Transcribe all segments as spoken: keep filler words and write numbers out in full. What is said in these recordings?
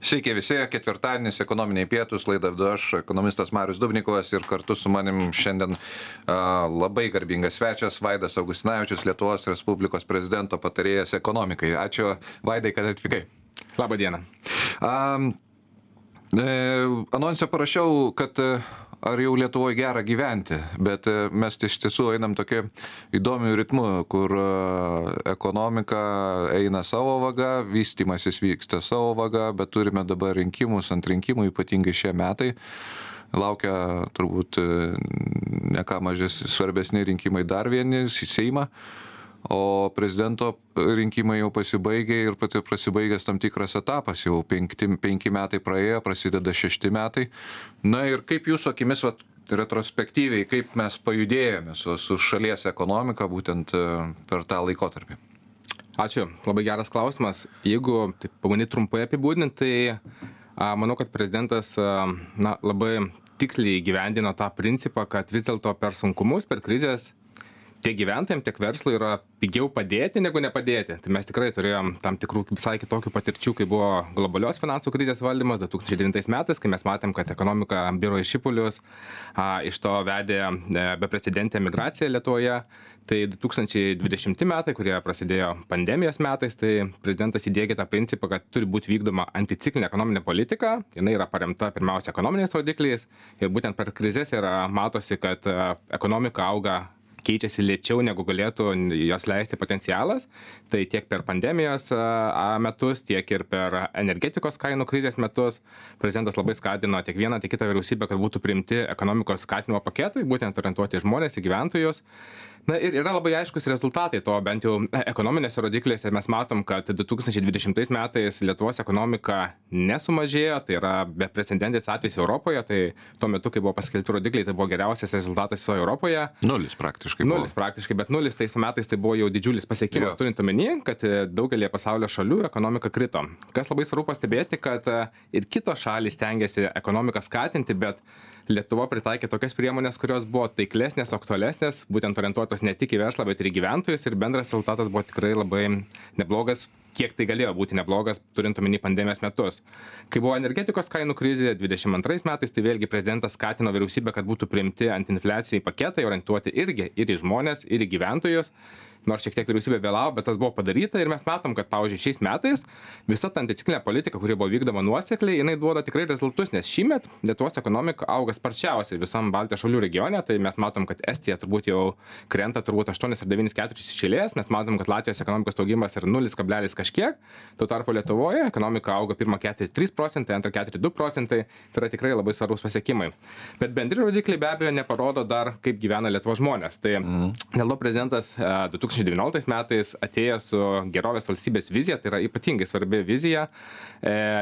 Sveiki visi, ketvirtadienis, ekonominiai pietus, laidą vedu aš, ekonomistas Marius Dubnikovas ir kartu su manim šiandien a, labai garbingas svečias Vaidas Augustinavičius, Lietuvos Respublikos prezidento patarėjas ekonomikai. Ačiū, Vaidai, kad atvykai. Labą dieną. A, e, anonse parašiau, kad ar jau Lietuvoje gera gyventi, bet mes iš tiesų einam tokiu įdomiu ritmu, kur ekonomika eina savo vaga, vystymasis vyksta savo vaga, bet turime dabar rinkimus ant rinkimų, ypatingai šie metai. Laukia turbūt ne ką mažes svarbesni rinkimai dar vieni į Seimą, o prezidento rinkimai jau pasibaigė ir pati pasibaigęs tam tikras etapas, jau penkti, penki metai praėjo, prasideda šešti metai. Na ir kaip jūsų akimis, vat, retrospektyviai, kaip mes pajudėjome su, su šalies ekonomika būtent per tą laikotarpį? Ačiū, labai geras klausimas. Jeigu taip pamanyti trumpai apibūdinti, tai a, manau, kad prezidentas a, na, labai tiksliai įgyvendino tą principą, kad vis dėlto per sunkumus, per krizės tiek gyventojams, tiek verslui yra pigiau padėti negu nepadėti. Tai mes tikrai turėjom tam tikrų visai kitokių patirčių, kai buvo globalios finansų krizės valdymas du tūkstančiai devintais metais, kai mes matėm, kad ekonomika biro į šipulius, a, iš to vedė beprecedentė migracija Lietuvoje. Tai du tūkstančiai dvidešimti metai, kurie prasidėjo pandemijos metais, tai prezidentas įdiegė tą principą, kad turi būti vykdoma anticiklinė ekonominė politika. Jinai yra paremta pirmiausia ekonominiais rodikliais ir būtent per krizės yra matosi, kad ekonomika auga keičiasi lėčiau, negu galėtų jos leisti potencialas. Tai tiek per pandemijos metus, tiek ir per energetikos kainų krizės metus prezidentas labai skatino tiek vieną, tiek kitą vyriausybę, kad būtų priimti ekonomikos skatinimo paketai, būtent orientuoti į žmonės, į gyventojus. Na ir yra labai aiškus rezultatai to, bent jau ekonominėse rodiklėse mes matom, kad du tūkstančiai dvidešimtais metais Lietuvos ekonomika nesumažėjo, tai yra beprecedentis atvejis Europoje, tai tuo metu, kai buvo paskelbti rodikliai, tai buvo geriausias rezultatas visoje Europoje. Nulis praktiškai. Nulis praktiškai, bet nulis tais metais tai buvo jau didžiulis pasiekimas, turint omeny, kad daugelį pasaulio šalių ekonomika krito. Kas labai svarbu pastebėti, kad ir kitos šalys stengiasi ekonomiką skatinti, bet Lietuva pritaikė tokias priemonės, kurios buvo taiklesnės, aktualesnės, būtent orientuotos ne tik į verslą, bet ir į gyventojus, ir bendras rezultatas buvo tikrai labai neblogas, kiek tai galėjo būti neblogas, turint omeny pandemijos metus. Kai buvo energetikos kainų krizė dvidešimt antrais metais, tai vėlgi prezidentas skatino vyriausybę, kad būtų priimti antiinfliacijai paketai, orientuoti irgi ir į žmonės, ir į gyventojus. Nors šiek tiek vyriausybė vėlavo, bet tas buvo padaryta ir mes matom, kad, pavyzdžiui, šiais metais visa ta anticiklinė politika, kuri buvo vykdoma nuosekliai, jinai duoda tikrai rezultatus, nes šįmet Lietuvos ekonomika auga sparčiausiai visam Baltijos šalių regione, tai mes matom, kad Estija turbūt jau krenta turbūt aštuonis ar devynis keturis iš eilės, mes matom, kad Latvijos ekonomikos augimas yra nulis kablelis kažkiek, tuo tarpu Lietuvoje ekonomika auga pirmą ketvirtį trys procentai, antrą ketvirtį du procentai, tai yra tikrai labai svarbus pasiekimai. Bet bendri rodikliai be abejo neparodo dar, kaip gyvena Lietuvos žmonės. Tai mm. dėl to prezidentas du tūkstančiai devynioliktais metais atėjo su gerovės valstybės vizija, tai yra ypatingai svarbi vizija,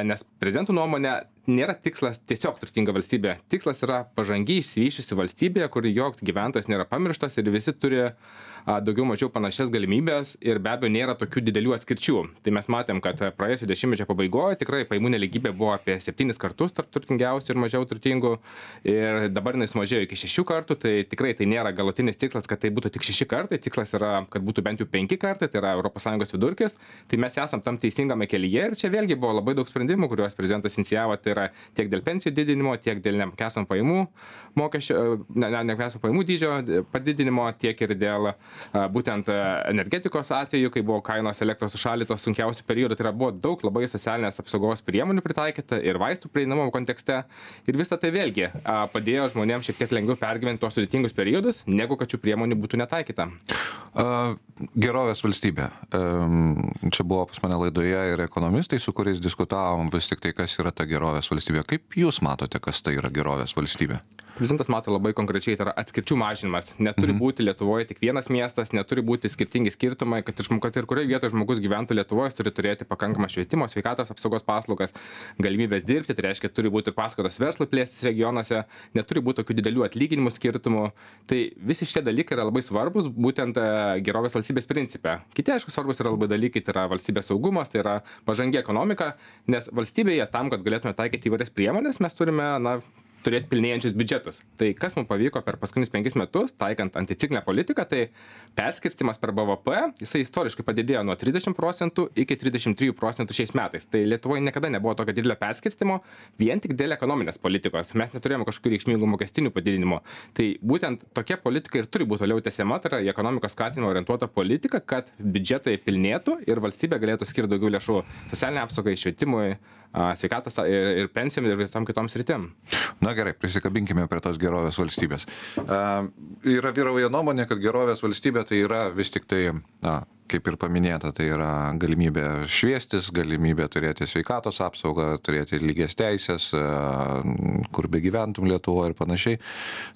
nes prezidentų nuomonė nėra tikslas tiesiog turtinga valstybė. Tikslas yra pažangiai išsivyščiusi valstybė, kur joks gyventojas nėra pamirštas ir visi turi daugiau mažiau panašias galimybės ir be abejo nėra tokių didelių atskirčių. Tai mes matėm, kad praėjusio dešimtmečio pabaigoje tikrai pajamų nelygybė buvo apie septynis kartus tarp turtingiausių ir mažiau turtingų ir dabar jinai sumažėjo iki šešių kartų, tai tikrai tai nėra galutinis tikslas, kad tai būtų tik šeši kartai, tikslas yra, kad būtų bent jau penki kartai, tai yra Europos Sąjungos vidurkis, tai mes esam tam teisingame kelyje ir čia vėlgi buvo labai daug sprendimų, kuriuos prezidentas inicijavo, tai yra tiek dėl pensijų didinimo, tiek dėl neapmokestinamų pajamų mokesčio, ne, neapmokestinamų pajamų dydžio padidinimo, tiek ir dėl būtent energetikos atveju, kai buvo kainos elektros užšaldytos sunkiausių periodų, tai yra buvo daug labai socialinės apsaugos priemonių pritaikyta ir vaistų prieinamumo kontekste. Ir visą tai vėlgi padėjo žmonėms šiek tiek lengviau pergyventi tos sudėtingus periodus, negu kad šių priemonių būtų netaikyta. Gerovės valstybė. Čia buvo pas mane laidoje ir ekonomistai, su kuriais diskutavom vis tik tai, kas yra ta gerovės valstybė. Kaip jūs matote, kas tai yra gerovės valstybė? Prezidentas mato labai konkrečiai, tai yra atskirčių mažinimas. Neturi mm-hmm. būti Lietuvoje tik vienas miestas, neturi būti skirtingi skirtumai, kad ir, kad ir kurioje vietoje žmogus gyventų Lietuvoje, turi turėti pakankamą švietimo, sveikatos apsaugos paslaugas, galimybės dirbti, tai reiškia, turi būti ir paskatos verslui plėstis regionuose, neturi būti tokių didelių atlyginimų skirtumų. Tai visi šitie dalykai yra labai svarbus, būtent gerovės valstybės principe. Kiti, aišku, svarbus yra labai dalykai, tai yra valstybės saugumas, tai yra pažangi ekonomika, nes valstybėje tam, kad galėtume taikyti įvairias priemonės, mes turime, na, turėti pilnėjančius biudžetus. Tai kas mums pavyko per paskutinius penkis metus, taikant anticiklinę politiką, tai perskirstimas per B V P, jisai istoriškai padidėjo nuo trisdešimt procentų iki trisdešimt trijų procentų šiais metais. Tai Lietuvoje niekada nebuvo tokio didelio perskirstimo, vien tik dėl ekonominės politikos. Mes neturėjome kažkokių reikšmingų mokestinių padidinimų. Tai būtent tokia politika ir turi būti toliau tęsiama, tai yra į ekonomikos skatinimą orientuota politika, kad biudžetai pilnėtų ir valstybė galėtų skirti daugiau lėšų socialiniai apsaugai, švietimui, sveikatos ir, ir pensijom ir visom kitom sritim. Na gerai, prisikabinkime prie tos gerovės valstybės. Uh, yra vyrauja nuomonė, kad gerovės valstybė tai yra vis tik tai, na, kaip ir paminėta, tai yra galimybė šviestis, galimybė turėti sveikatos apsaugą, turėti lygias teisės, uh, kur begyventum Lietuvoje ir panašiai.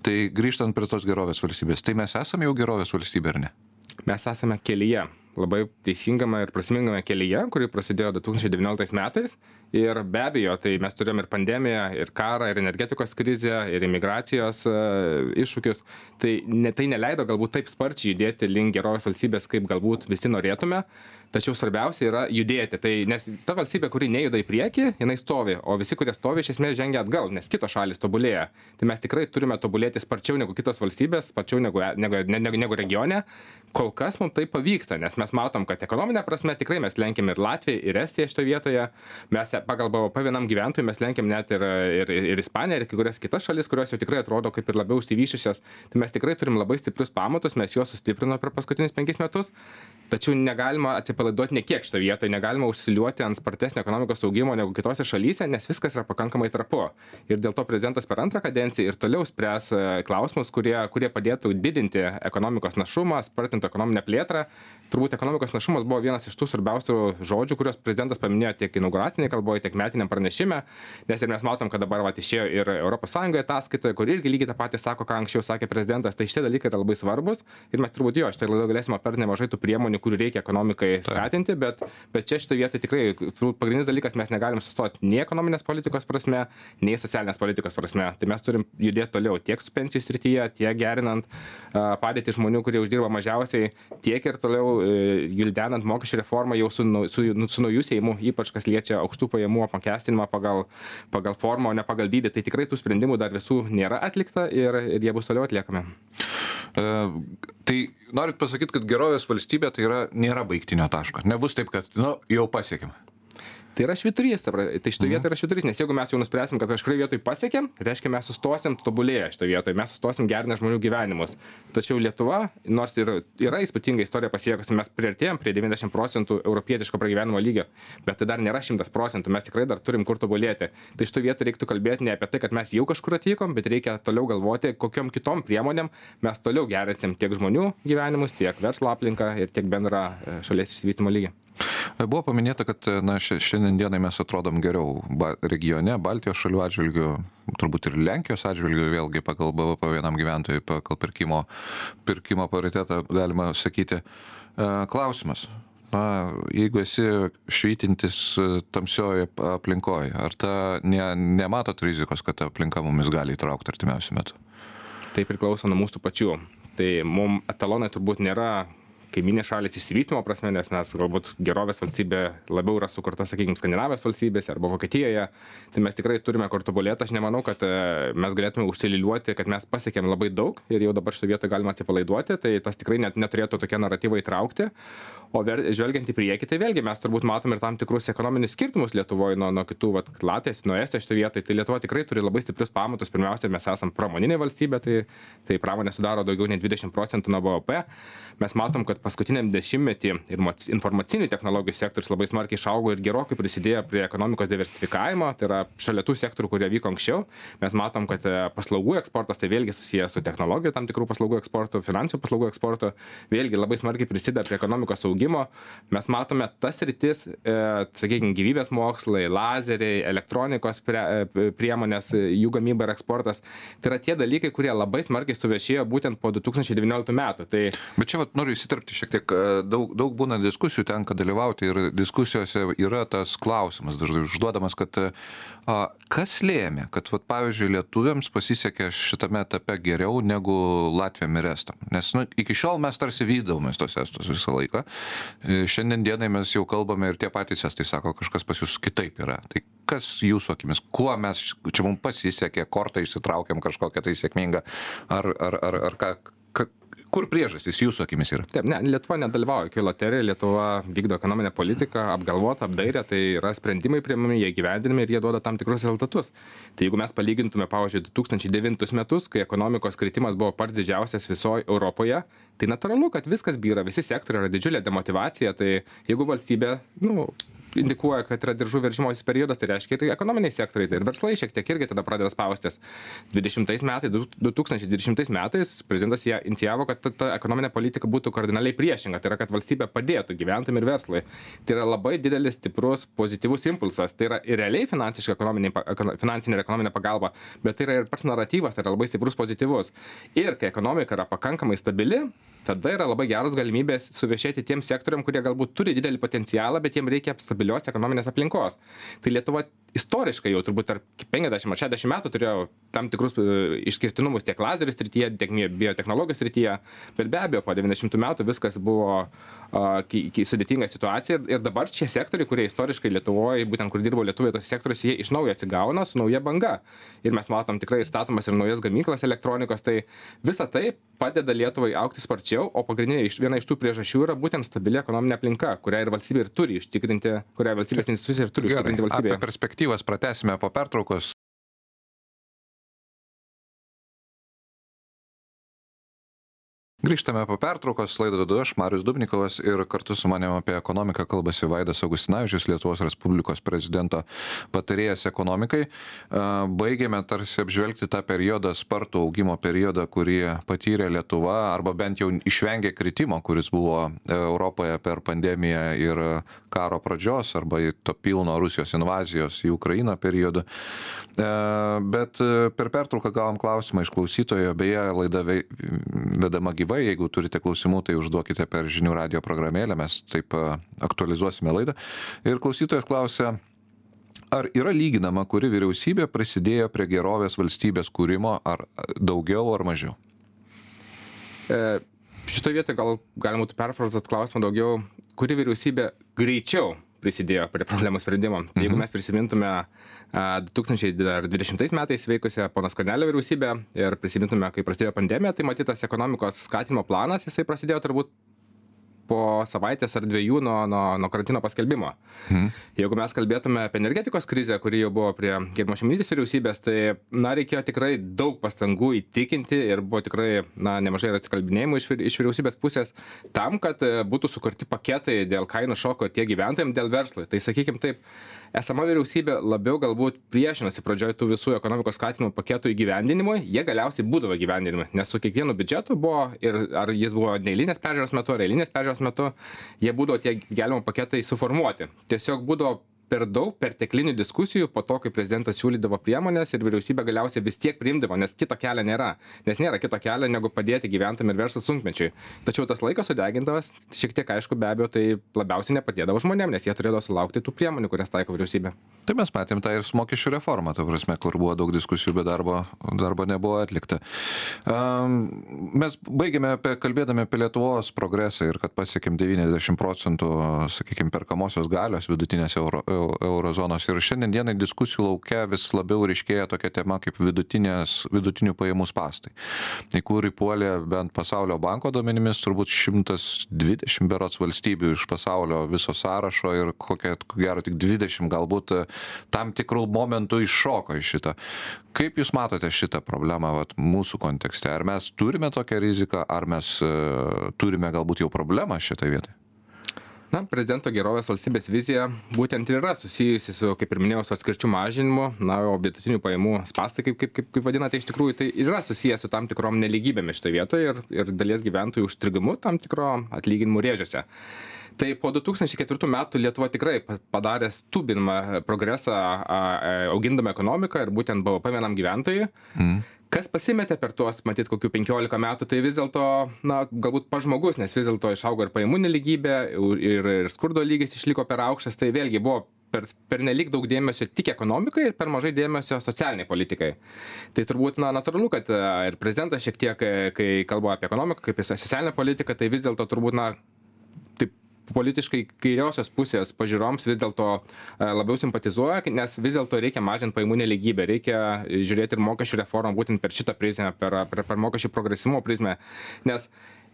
Tai grįžtant prie tos gerovės valstybės, tai mes esame jau gerovės valstybė, ar ne? Mes esame kelyje, labai teisingame ir prasmingame kelyje, kuri prasidėjo du tūkstančiai devynioliktais metais. Ir be abejo, tai mes turėjom ir pandemiją, ir karą, ir energetikos krizę, ir imigracijos uh, iššūkius. Tai, ne, tai neleido galbūt taip sparčiai judėti link gerovės valstybės, kaip galbūt visi norėtume. Tačiau svarbiausia yra judėti. Tai, nes ta valstybė, kuri nejuda į priekį, jinai stovi, o visi, kurie stovi, iš esmės žengia atgal, nes kitos šalis tobulėja. Tai mes tikrai turime tobulėti sparčiau negu kitos valstybės, sparčiau negu, negu, negu, negu regione. Kol kas mums tai pavyksta, nes mes matom, kad ekonominė prasme tikrai mes lenkiam ir Latviją, ir Estiją šitoje vietoje. Mes pagal B V P vienam gyventojui mes lenkiam net ir, ir, ir Ispaniją, ir kai kurias kitas šalis, kurios jau tikrai atrodo kaip ir labiau išsivyščiusios. Tai mes tikrai turim labai stiprius pamatus, mes juos sustiprinome per paskutinius penkis metus. Tačiau negalima atsipalaiduoti ne kiek šitoje vietoje, negalima užsiliuoti ant spartesnio ekonomikos augimo negu kitose šalyse, nes viskas yra pakankamai trapu. Ir dėl to prezidentas per antrą kadenciją ir toliau spręs klausimus, kurie, kurie padėtų didinti ekonomikos našumą, spartinti ekonominę plėtrą. Turbūt ekonomikos našumas buvo vienas iš tų svarbiausių žodžių, kuriuos prezidentas paminėjo tiek inauguraciniai kalboje, tiek metiniam pranešime, nes ir mes matom, kad dabar vat, išėjo ir Europos Sąjungoje ataskaitoje, kur irgi lygiai tą patį sako, ką anksčiau sakė prezidentas, tai šitie dalykai yra labai svarbus ir mes turbūt jo, šitą laidą galėsime aptarti nemažai tų priemonių, kurių reikia ekonomikai skatinti, bet, bet čia šitoje vietoje tikrai pagrindinis dalykas, mes negalim sustoti nei ekonominės politikos prasme, nei socialinės politikos prasme. Tai mes turim judėti toliau tiek su pensijų srityje, tiek gerinant uh, padėtį žmonių, kurie uždirba mažiausiai, tiek ir toliau gildenant mokesčių reformą jau su, su, su naujų Seimu, ypač kas liečia aukštų pajamų apmokestinimą pagal, pagal formą, o ne pagal dydį. Tai tikrai tų sprendimų dar visų nėra atlikta ir, ir jie bus toliau atliekami. E, tai norit pasakyti, kad gerovės valstybė tai yra, nėra baigtinio taško. Nebus taip, kad nu, jau pasiekime. Tai yra švyturys, tai šitoje vietoje yra švyturys, nes jeigu mes jau nuspręsim, kad kažkurioje vietoje pasiekėm, tai reiškia mes sustosim tobulėję šitoje vietoje, mes sustosim gerinę žmonių gyvenimus. Tačiau Lietuva, nors ir yra įspūdinga istorija pasiekusi, mes priartėjom prie devyniasdešimt procentų europietiško pragyvenimo lygio, bet tai dar nėra šimtas procentų, mes tikrai dar turim kur tobulėti. Tai šitoje vietoje reiktų kalbėti ne apie tai, kad mes jau kažkur atvykom, bet reikia toliau galvoti, kokiom kitom priemonėm mes toliau gerinsim tiek žmonių gyvenimus, tiek verslo aplinką ir tiek bendrą šalies išsivystymo lygį. Buvo paminėta, kad na, šiandien dienai mes atrodom geriau ba, regione, Baltijos šalių atžvilgių, turbūt ir Lenkijos atžvilgių, vėlgi pagal B V P vienam gyventojui, pagal pirkimo, pirkimo paritetą galima sakyti. Klausimas, na, jeigu esi švytintis tamsioje aplinkoje, ar ta ne, nematot rizikos, kad ta aplinka mumis gali įtraukti artimiausiu metu? Tai priklauso nuo mūsų pačių. Tai mums etalonai turbūt nėra kaiminės šalys išsivystymo prasme, nes mes galbūt gerovės valstybė labiau yra sukurta, sakykime, Skandinavijos valstybėse arba Vokietijoje, tai mes tikrai turime kur tobulėti. Aš nemanau, kad mes galėtume užsililiuoti, kad mes pasiekėm labai daug ir jau dabar šitoje vietoje galima atsipalaiduoti, tai tas tikrai net neturėtų tokie naratyvai įtraukti. O ver, žvelgiant į priekį, tai vėlgi mes turbūt matom ir tam tikrus ekonominius skirtumus Lietuvoje nuo, nuo kitų, vat, Latvijos, nuo Estijos šitoje vietoje. Tai Lietuva tikrai turi labai stiprius pamatus. Pirmiausia, mes esame pramoninė valstybė, tai, tai pramonė sudaro daugiau nei dvidešimt procentų nuo B V P. Mes matom, kad paskutiniam dešimtmetį ir informacinių technologijų sektorius labai smarkiai išaugo ir gerokai prisidėjo prie ekonomikos diversifikavimo. Tai yra šalia tų sektorių, kurie vyko anksčiau. Mes matom, kad paslaugų eksportas tai vėlgi susijęs su technologijų tam tikrų paslaugų eksportu, finansinių paslaugų eksportu, vėlgi labai smarkiai prisideda prie ekonomikos augimo. Mes matome tas rytis, e, sakykime, gyvybės mokslai, lazeriai, elektronikos prie, priemonės, jų gamyba ir eksportas. Tai yra tie dalykai, kurie labai smarkiai suvešėjo būtent po du tūkstančiai devynioliktų metų. Tai... Bet čia vat, noriu įsiterpti šiek tiek, daug, daug būna diskusijų, tenka dalyvauti ir diskusijose yra tas klausimas dažnai užduodamas, kad a, kas lėmė, kad vat, pavyzdžiui, lietuviams pasisekė šitame etape geriau negu Latviam ir Estam. Nes nu, iki šiol mes tarsi vydavomės tos Estus visą laiką. Šiandien dienai mes jau kalbame ir tie patys estai sako, kažkas pas jūs kitaip yra. Tai kas jūsų akimis, kuo mes, čia mums pasisekė, kortą išsitraukiam kažkokią tai sėkmingą, ar, ar, ar, ar ką, ka, kur priežastys jūsų akimis yra? Taip, ne, Lietuva nedalyvauja jokioj loterijoje, Lietuva vykdo ekonominę politiką, apgalvota, apdairę, tai yra sprendimai priimami, jie gyvendinami ir jie duoda tam tikrus rezultatus. Tai jeigu mes palygintume, pavyzdžiui, du tūkstančiai devintus metus, kai ekonomikos kritimas buvo pats didžiausias visoje Europoje, tai natūralu, kad viskas byra, visi sektoriai yra didžiulė demotyvacija, tai jeigu valstybė, nu, indikuoja, kad yra diržų veržimosi periodas, tai reiškia ir ekonominiai sektoriai, tai ir verslai šiek tiek irgi tada pradeda spaustis. dvidešimtais metais, du tūkstančiai dvidešimtais metais prezidentas ją inicijavo, kad ta, ta ekonominė politika būtų kardinaliai priešinga, tai yra, kad valstybė padėtų gyventojams ir verslui. Tai yra labai didelis, stiprus, pozityvus impulsas, tai yra ir realiai finansiška finansinė ir ekonominė pagalba, bet tai yra ir pats naratyvas, tai yra labai stiprus, pozityvus. Ir kai ekonomika yra pakankamai stabili, tada yra labai geros galimybės suviešėti tiem sektoriam, kurie galbūt turi didelį potencialą, bet jiems reikia stabilios ekonominės aplinkos. Tai Lietuva istoriškai jau turbūt tarp penkiasdešimt ar šešiasdešimt metų turėjo tam tikrus išskirtinumus tiek lazerių srityje, tiek biotechnologijos srityje, bet be abejo po devyniasdešimtų metų viskas buvo uh, sudėtinga situacija ir, ir dabar šie sektoriai, kurie istoriškai Lietuvoje, būtent kur dirbo lietuviai tose sektoriuose, jie iš naujo atsigauna su nauja banga. Ir mes matom tikrai statomas ir naujas gamyklas elektronikos, tai visa tai padeda Lietuvai augti sparčiau, o pagrindinė viena iš tų priežasčių yra būtent stabili ekonominė aplinka, kurią ir valstybė ir turi užtikrinti, kurią valstybės institucija ir turi užtikrinti valstybėje. Apie perspektyvas pratęsime po pertraukos. Grįžtame po pertraukos, laidą vedu aš, Marius Dubnikovas, ir kartu su manim apie ekonomiką kalbasi Vaidas Augustinavičius, Lietuvos Respublikos prezidento patarėjas ekonomikai. Baigėme tarsi apžvelgti tą periodą, spartų augimo periodą, kurį patyrė Lietuva, arba bent jau išvengė kritimo, kuris buvo Europoje per pandemiją ir karo pradžios, arba to pilno Rusijos invazijos į Ukrainą periodu. Bet per pertrauką gavom klausimą iš klausytojo, beje, laida vedama gyva. Jeigu turite klausimų, tai užduokite per žinių radio programėlę, mes taip aktualizuosime laidą. Ir klausytojas klausia, ar yra lyginama, kuri vyriausybė prisidėjo prie gerovės valstybės kūrimo, ar daugiau, ar mažiau? E, šitoje vietoje gal galima būtų perfrazuoti klausimą daugiau, kuri vyriausybė greičiau prisidėjo prie problemų sprendimo. Mhm. Jeigu mes prisimintume du tūkstančiai dvidešimtais metais veikusią pono Skvernelio vyriausybę ir prisimintume, kai prasidėjo pandemija, tai matytas ekonomikos skatinimo planas, jisai prasidėjo turbūt po savaitės ar dviejų nuo, nuo, nuo karantino paskelbimo. Mhm. Jeigu mes kalbėtume apie energetikos krizę, kuri jau buvo prie gerbiamos Šimonytės vyriausybės, tai na, reikėjo tikrai daug pastangų įtikinti ir buvo tikrai na, nemažai ir atsikalbinėjimų iš, iš vyriausybės pusės tam, kad būtų sukurti paketai dėl kainų šoko tiek gyventojams, dėl verslui. Tai sakykime taip, esama vyriausybė labiau galbūt priešinasi pradžioje tų visų ekonomikos skatinimo paketų įgyvendinimui, jie galiausiai būdavo įgyvendinami, nes su kiekvienu biudžetu buvo, ir ar jis buvo neeilinės peržiūros metu, ar eilinės peržiūros metu, jie būdavo tie gelbėjimo paketai suformuoti. Tiesiog būdavo per daug perteklinių diskusijų po to, kai prezidentas siūlydavo priemonės ir vyriausybė galiausiai vis tiek priimdavo, nes kito kelio nėra. Nes nėra kito kelio, negu padėti gyventojams ir verslo sunkmečiui. Tačiau tas laikas sudegindavas, šiek tiek aišku, be abejo, tai labiausiai nepadėdavo žmonėms, nes jie turėjo sulaukti tų priemonių, kurias taiko vyriausybė. Tai mes matėm tą ir su mokesčių reformą, ta prasme, kur buvo daug diskusijų, bet darbo, darbo nebuvo atlikta. Um, mes baigėme apie, kalbėdami apie Lietuvos progresą ir kad pasiekėm devyniasdešimt procentų, sakykime, perkamosios galios vidutinės euro, eurozonos. Ir šiandien dienai diskusijų laukia vis labiau ryškėja tokia tema kaip vidutinių pajamų spąstai. Į kurį puolė bent pasaulio banko duomenimis turbūt šimtas dvidešimt berods valstybių iš pasaulio viso sąrašo ir kokia, gero tik dvidešimt galbūt tam tikrų momentų iššoko iš šitą. Kaip Jūs matote šitą problemą vat, mūsų kontekste? Ar mes turime tokią riziką, ar mes uh, turime galbūt jau problemą šitą vietą? Na, prezidento gerovės valstybės vizija būtent ir yra susijusi su, kaip ir minėjau, su atskirčių mažinimu, na, o vidutinių pajamų spąstai, kaip, kaip, kaip, kaip vadinate, iš tikrųjų tai yra susijęs su tam tikrom nelygybėmis šitoje vietoje ir, ir dalies gyventojų užstrigimu tam tikro atlyginimų rėžiuose. Tai po du tūkstančiai ketvirtų metų Lietuva tikrai padarė stubinamą progresą augindama ekonomiką ir būtent B V P vienam gyventojui. Mm. Kas pasimetė per tuos, matyt, kokių penkiolika metų, tai vis dėlto, na, galbūt pažmogus, nes vis dėlto išaugo ir pajamų nelygybė, ir, ir skurdo lygis išliko per aukštas, tai vėlgi buvo per, per nelik daug dėmesio tik ekonomikai ir per mažai dėmesio socialiniai politikai. Tai turbūt, na, natūralu, kad ir prezidentas šiek tiek, kai kalba apie ekonomiką, kaip apie socialinę politiką, tai vis dėlto turbūt, na, taip politiškai kairiosios pusės pažiūroms vis dėlto labiau simpatizuoja, nes vis dėlto reikia mažinti pajamų nelygybę, reikia žiūrėti ir mokesčių reformą būtent per šitą prizmę, per, per, per mokesčių progresyvumo prizmę, nes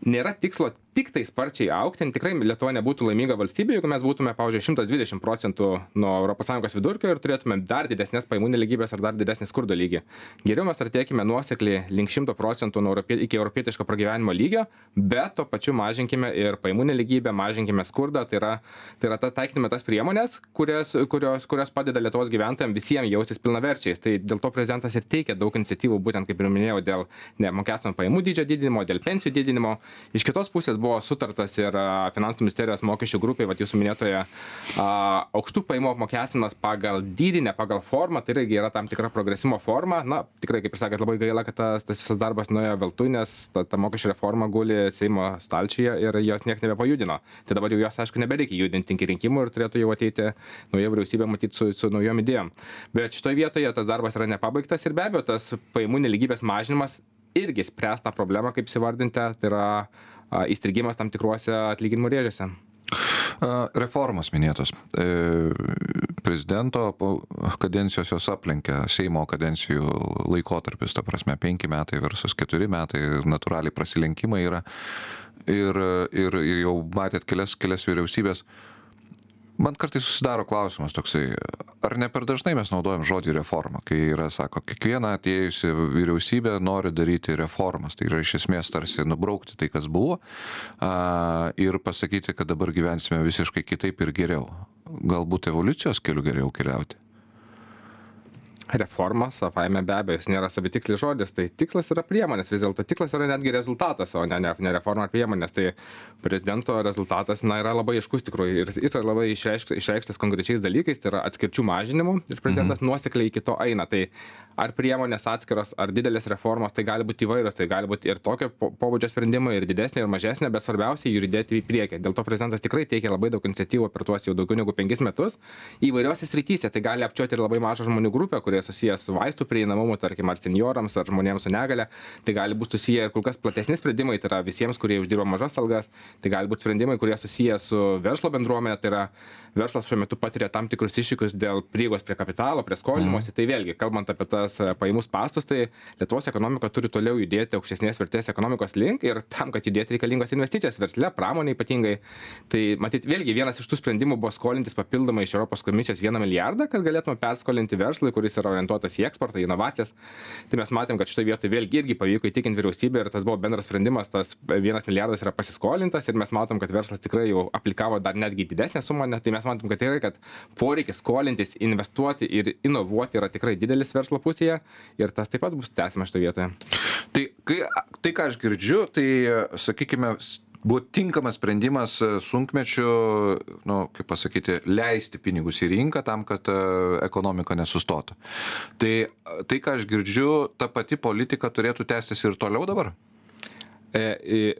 nėra tikslo tik tai sparčiai augti, tikrai Lietuva nebūtų laiminga valstybė, jeigu mes būtume, pavyzdžiui, šimtas dvidešimt procentų nuo Europos Sąjungos vidurkio ir turėtume dar didesnės pajamų nelygybės ar dar didesnį skurdo lygį. Geriau mes artėkime nuosekliai link šimto procentų nuo europie, iki europietiško pragyvenimo lygio, bet to pačiu mažinkime ir pajamų nelygybę, mažinkime skurdą, tai yra, tai yra ta, taikykime tas priemonės, kurias, kurios, kurios padeda Lietuvos gyventojams visiems jaustis pilnaverčiais. Tai dėl to prezidentas ir teikia daug iniciatyvų, būtent kaip ir minėjau, dėl neapmokestinamo pajamų dydžio didinimo, dėl pensijų didinimo. Iš kitos pusės buvo sutartas ir Finansų ministerijos mokesčių grupė, vat jūsų minėtoje, aukštų pajamų apmokestinimas pagal dydį, ne pagal formą, tai irgi yra tam tikra progresimo forma. Na, tikrai, kaip ir sakėt, labai gaila, kad tas, tas visas darbas nuėjo veltui, nes ta, ta mokesčių reforma guli Seimo stalčiuje ir jos niekas nebepajudino. Tai dabar jau jos, aišku, nebereikia judinti iki rinkimų ir turėtų jau ateiti nauja vyriausybė matyti su, su naujom idėjom. Bet šitoje vietoje tas darbas yra nepabaigtas ir be abejo tas pajamų nelygybės mažinimas irgi spręs tą problemą, kaip įsivardinti, tai yra a, įstrigimas tam tikruose atlyginimų rėžiuose. Reformos minėtos. Prezidento kadencijos jos aplenkia Seimo kadencijų laikotarpis, ta prasme, penki metai versus keturi metai, natūraliai prasilenkimai yra ir, ir, ir jau matėt kelias, kelias vyriausybės. Man kartais susidaro klausimas toksai, ar ne per dažnai mes naudojam žodį reforma, kai yra, sako, kiekviena atėjusi vyriausybė nori daryti reformas, tai yra iš esmės tarsi nubraukti tai, kas buvo, a, ir pasakyti, kad dabar gyvensime visiškai kitaip ir geriau. Galbūt evoliucijos keliu geriau keliauti. Reforma, savaime be abejo, jis nėra savitikslis žodis, tai tikslas yra priemonės, vis dėlto tikslas yra netgi rezultatas, o ne, ne, ne reforma ar priemonės. Tai prezidento rezultatas, na, yra labai aiškus tikrųjų ir yra labai išreikštas, išreikštas konkrečiais dalykais, tai yra atskirčių mažinimu ir prezidentas mhm. nuosekliai iki to eina. Tai ar priemonės atskiros, ar didelės reformos, tai gali būti įvairios, tai gali būti ir tokio pobūdžio sprendimai, ir didesnė, ir mažesnė, bet svarbiausia judėti į priekį. Dėl to prezidentas tikrai teikia labai daug iniciatyvų per tuos jau daugiau negu penkis metus. Įvairiose srityse tai gali apčiuoti ir labai mažą žmonių grupę, kurie susijęs su vaistų prieinamumu, tarkim, ar senjorams, ar žmonėms su negale. Tai gali būti susiję ir kur kas platesni sprendimai, tai yra visiems, kurie uždirba mažas algas. Tai gali būti sprendimai, kurie susiję su verslo bendruomenė, tai yra verslas šiuo metu patiria tam tikrus iššūkius dėl prieigos prie kapitalo, prie skolinimuose. Mm. Tai vėlgi, kalbant apie tas pajamų spąstus, tai Lietuvos ekonomika turi toliau judėti aukštesnės vertės ekonomikos link ir tam, kad judėti reikalingos investicijos versle, pramonė ypatingai. Tai matyt, vėlgi vienas iš tų sprendimų buvo skolintis papildomai iš Europos komisijos vieną milijardą, kad galėtume perskolinti verslui, kuris yra orientuotas į eksportą, į inovacijas. Tai mes matėm, kad šitoje vietoje vėlgi irgi pavyko įtikinti vyriausybę ir tas buvo bendras sprendimas, tas vienas milijardas yra pasiskolintas ir mes matom, kad verslas tikrai jau aplikavo dar netgi didesnę sumą, tai mes matom, kad tikrai, kad poreikis skolintis, investuoti ir inovuoti yra tikrai didelis verslo pusėje ir tas taip pat bus tęsiama šitoje vietoje. Tai, kai, tai ką aš girdžiu, tai, sakykime, buvo tinkamas sprendimas sunkmečiu, nu, kaip pasakyti, leisti pinigus į rinką tam, kad ekonomika nesustotų. Tai, tai ką aš girdžiu, ta pati politika turėtų tęstis ir toliau dabar?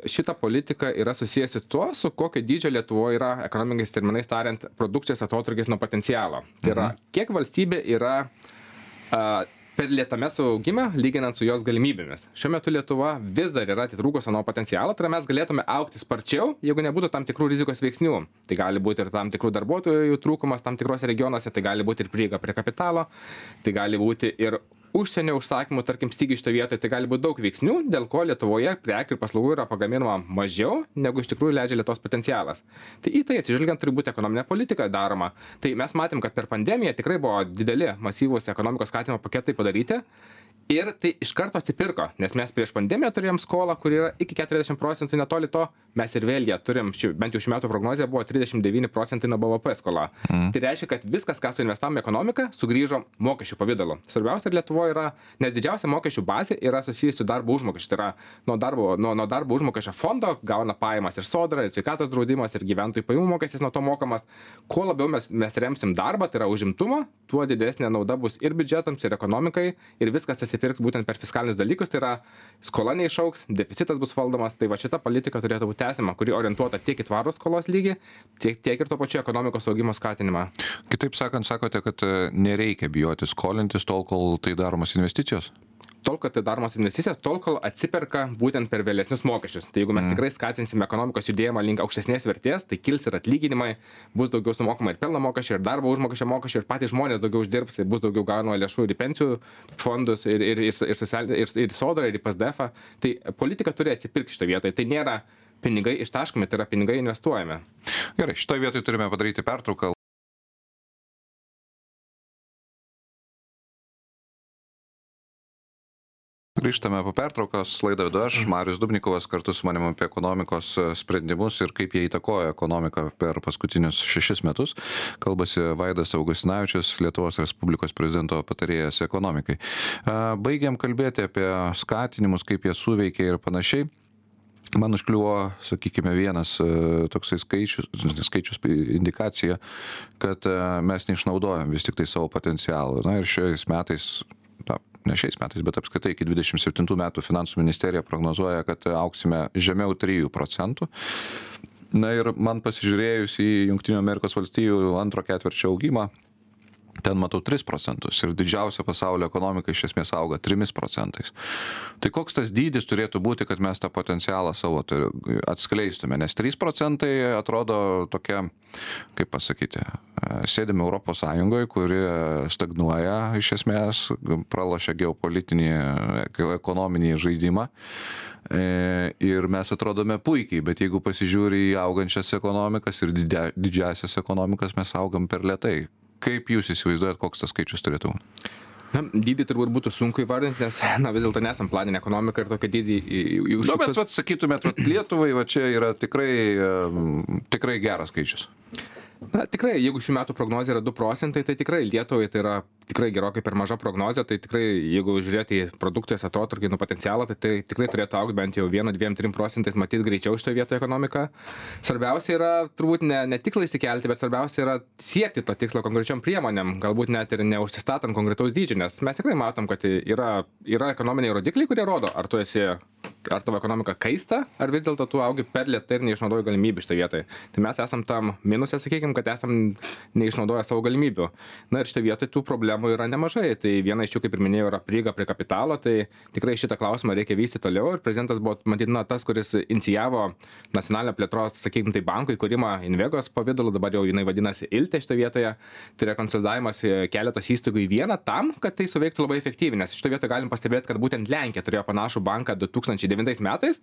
Šita politika yra susijusi tuo, su kokio dydžio Lietuvoje yra, ekonominiais terminais tariant, produkcijos atotrūkis nuo potencialo. Tai yra, kiek valstybė yra a, per lėtame savo augime, lyginant su jos galimybėmis. Šiuo metu Lietuva vis dar yra atitrūkusi nuo potencialo, tai mes galėtume augti sparčiau, jeigu nebūtų tam tikrų rizikos veiksnių. Tai gali būti ir tam tikrų darbuotojų trūkumas tam tikrose regionuose, tai gali būti ir prieiga prie kapitalo, tai gali būti ir užsienio užsakymų, tarkim, stygiai šitoje vietoje, tai gali būti daug veiksnių, dėl ko Lietuvoje prekių ir paslaugų yra pagaminama mažiau, negu iš tikrųjų leidžia Lietuvos potencialas. Tai į tai atsižvelgiant turi būti ekonominė politika daroma. Tai mes matėm, kad per pandemiją tikrai buvo dideli, masyvūs ekonomikos skatinimo paketai padaryti. Ir tai iš karto atsipirko, nes mes prieš pandemiją turėjom skolą, kur yra iki keturiasdešimt procentų netoli to, mes ir vėl ją turim, ši, bent jau šių metų prognozija buvo trisdešimt devyni procentai nuo B V P skola. Mm. Tai reiškia, kad viskas, ką suinvestavome į ekonomiką, sugrįžo mokesčių pavidalu. Svarbiausia Lietuvoje yra, nes didžiausia mokesčių bazė yra susijusi su darbo užmokesčiu. Tai yra nuo darbo, nuo, nuo darbo užmokesčio fondo gauna pajamas ir sodra, ir sveikatos draudimas, ir gyventojų pajamų mokestis nuo to mokamas. Kuo labiau mes, mes remsim darbą, tai yra užimtumą, tuo didesnė nauda bus ir biudžetams, ir ekonomikai, ir viskas atsipirks būtent per fiskalinius dalykus, tai yra skola neišauks, deficitas bus valdomas, tai va šita politika turėtų būti tęsiama, kuri orientuota tiek į tvarų skolos lygį, tiek, tiek ir to pačiu ekonomikos augimo skatinimą. Kitaip sakant, sakote, kad nereikia bijoti skolintis tol, kol tai daromas investicijos? tol, kad tai daromos investicijas, tol, kol atsiperka būtent per vėlesnius mokesčius. Tai jeigu mes mm. tikrai skatinsime ekonomikos judėjimą link aukštesnės vertės, tai kils ir atlyginimai, bus daugiau sumokama ir pelno mokesčio, ir darbo užmokesčio mokesčio, ir patys žmonės daugiau uždirbs, ir bus daugiau gaunama lėšų ir į pensijų fondus, ir, ir, ir, ir, socialinį, ir, ir sodrą, ir į P S D F. Tai politika turi atsipirkti šitoje vietoje. Tai nėra pinigai ištaškomi, tai yra pinigai investuojami. Gerai, šitoje vietoje turime padaryti pertrauką. Grįžtame po pertraukos, laidą vedu aš, Marius Dubnikovas, kartu su manimi apie ekonomikos sprendimus ir kaip jie įtakoja ekonomiką per paskutinius šešis metus. Kalbasi Vaidas Augustinavičius, Lietuvos Respublikos prezidento patarėjas ekonomikai. Baigiam kalbėti apie skatinimus, kaip jie suveikia ir panašiai. Man užkliuvo, sakykime, vienas toksai skaičius, skaičius indikacija, kad mes neišnaudojam vis tik tai savo potencialą. Na ir šiais metais, na, ne šiais metais, bet apskritai iki dvidešimt septintų metų finansų ministerija prognozuoja, kad auksime žemiau trijų procentų. Na ir man pasižiūrėjus į Jungtinių Amerikos valstijų antro ketvirčio augimą, ten matau tris procentus ir didžiausia pasaulio ekonomika iš esmės auga trimis procentais. Tai koks tas dydis turėtų būti, kad mes tą potencialą savo atskleistume? Nes trys procentai atrodo tokia, kaip pasakyti, sėdime Europos Sąjungoje, kuri stagnuoja iš esmės, pralošia geopolitinį, ekonominį žaidimą. Ir mes atrodome puikiai, bet jeigu pasižiūri į augančias ekonomikas ir didžiasias ekonomikas, mes augam per lėtai. Kaip jūs įsivaizduojat, koks tas skaičius turėtų? Na, dydį turbūt būtų sunku įvardinti, nes na, vis dėlto nesam planinė ekonomika ir tokia dydį užfiksuos. Na, bet vat, sakytumėt, vat, Lietuvai va, čia yra tikrai, tikrai geras skaičius. Na, tikrai, jeigu šių metų prognozija yra du procentai, tai tikrai Lietuvai tai yra tikrai gerokai per maža prognozija, tai tikrai, jeigu žiūrėti į produkcijos atotrūkį nuo potencialo, tai, tai tikrai turėtų augti bent jau vienu, dviem, trim procentais, matyti greičiau šitoje vietoje ekonomiką. Svarbiausia yra turbūt ne, ne tikslą įsikelti, bet svarbiausia yra siekti to tikslo konkrečiom priemonėm, galbūt net ir neužsistatant konkretaus dydžio, nes mes tikrai matom, kad yra, yra ekonominiai rodikliai, kurie rodo, ar tu esi, ar tavo ekonomika kaista, ar vis dėlto tu augi per lėtai ir neišnaudoji galimybių šitoje vietoje. Tai mes esam tam minuse, sakykime, kad esam neišnaudoję savo galimybių. Na ir šitoje vietoje tų problemų yra nemažai. Tai viena iš jų, kaip ir minėjau, yra prieiga prie kapitalo, tai tikrai šitą klausimą reikia vystyti toliau ir prezidentas buvo, matyt, na, tas, kuris inicijavo nacionalinę plėtros, sakykime, tai bankų įkūrimą Invegos pavidalu, dabar jau jinai vadinasi Ilte šitoje vietoje, tai yra konsolidavimas keletos įstaigų į vieną tam, kad tai suveiktų labai efektyviai, nes šitoje vietoje galim pastebėti, kad būtent Lenkija turėjo panašų banką du tūkstančiai devintais metais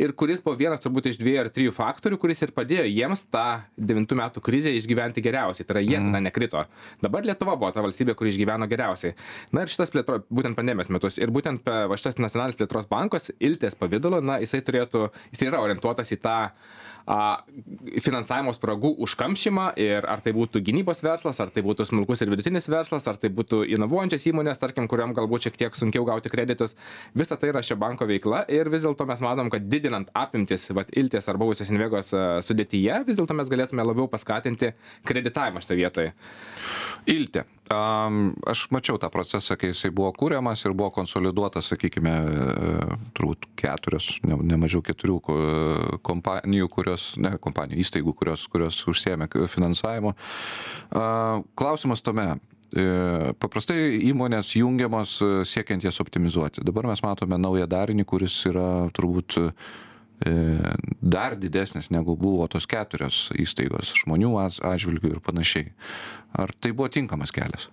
ir kuris buvo vienas turbūt iš dviejų ar trijų faktorių, kuris ir padėjo jiems tą devintų metų krizę išgyventi geriausiai, tai yra jie tada nekrito. Dabar Lietuva buvo ta valstybė, kuri išgyveno geriausiai. Na ir šitas plėtro, būtent pandemijos metus ir būtent va, šitas nacionalinis plėtros bankas Iltės pavidalu, na, jisai turėtų, jisai yra orientuotas į tą a, finansavimo spragų užkamšymą ir ar tai būtų gynybos verslas, ar tai būtų smulkus ir vidutinis verslas, ar tai būtų inovuojančios įmonės, tarkim, kuriam galbūt šiek tiek sunkiau gauti kreditus. Visa tai yra šio banko veikla ir vis dėlto mes matom, kad didinant apimtis va, Iltės ar buvusios Invegos sudėtyje, vis dėlto mes galėtume labiau paskatinti kreditavimą šitoje vietoje. Iltė. Um, aš mačiau tą procesą, kai jisai buvo kūriamas ir buvo konsoliduotas, sakykime, turbūt keturios, ne, ne mažiau keturių kompanijų, kurios, ne kompanijų, įstaigų, kurios, kurios užsiėmė finansavimu. Uh, klausimas tome. Paprastai įmonės jungiamos siekiant jas optimizuoti. Dabar mes matome naują darinį, kuris yra turbūt dar didesnis negu buvo tos keturios įstaigos žmonių atžvilgių ir panašiai. Ar tai buvo tinkamas kelias?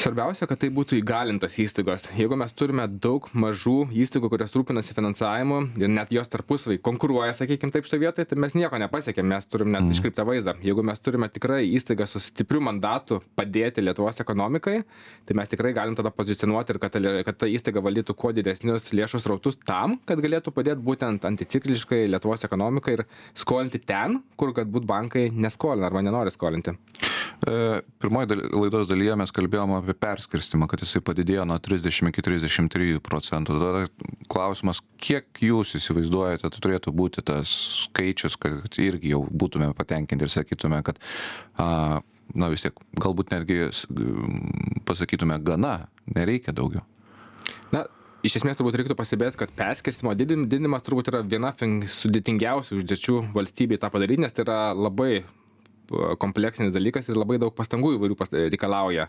Svarbiausia, kad tai būtų įgalintas įstaigos. Jeigu mes turime daug mažų įstaigų, kurios rūpinasi finansavimu ir net jos tarpusavai konkuruoja, sakykime, taip šitoje vietoje, tai mes nieko nepasiekėm, mes turim net mm. iškreiptą vaizdą. Jeigu mes turime tikrai įstaigą su stipriu mandatu padėti Lietuvos ekonomikai, tai mes tikrai galim tada pozicionuoti ir kad, kad ta įstaiga valdytų kuo didesnius lėšų srautus tam, kad galėtų padėti būtent anticikliškai Lietuvos ekonomikai ir skolinti ten, kur galbūt bankai neskolina arba nenori skolinti. Pirmoje laidos dalyje mes kalbėjome apie perskirstimą, kad jisai padidėjo nuo trisdešimt iki trisdešimt trijų procentų. Tada klausimas, kiek jūs įsivaizduojate, tai turėtų būti tas skaičius, kad irgi jau būtume patenkinti ir sakytume, kad a, na vis tiek, galbūt netgi pasakytume gana, nereikia daugiau. Na, iš esmės turbūt reiktų pastebėti, kad perskirstimo didinimas turbūt yra viena sudėtingiausių užduočių valstybei tą padaryti, nes tai yra labai kompleksinis dalykas ir labai daug pastangų įvairių pas, reikalauja.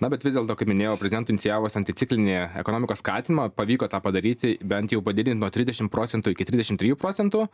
Na, bet vis dėlto, kaip minėjau, prezidentų inicijavus anticiklinį ekonomikos skatinimą, pavyko tą padaryti, bent jau padidinti nuo trisdešimt procentų iki trisdešimt trijų procentų.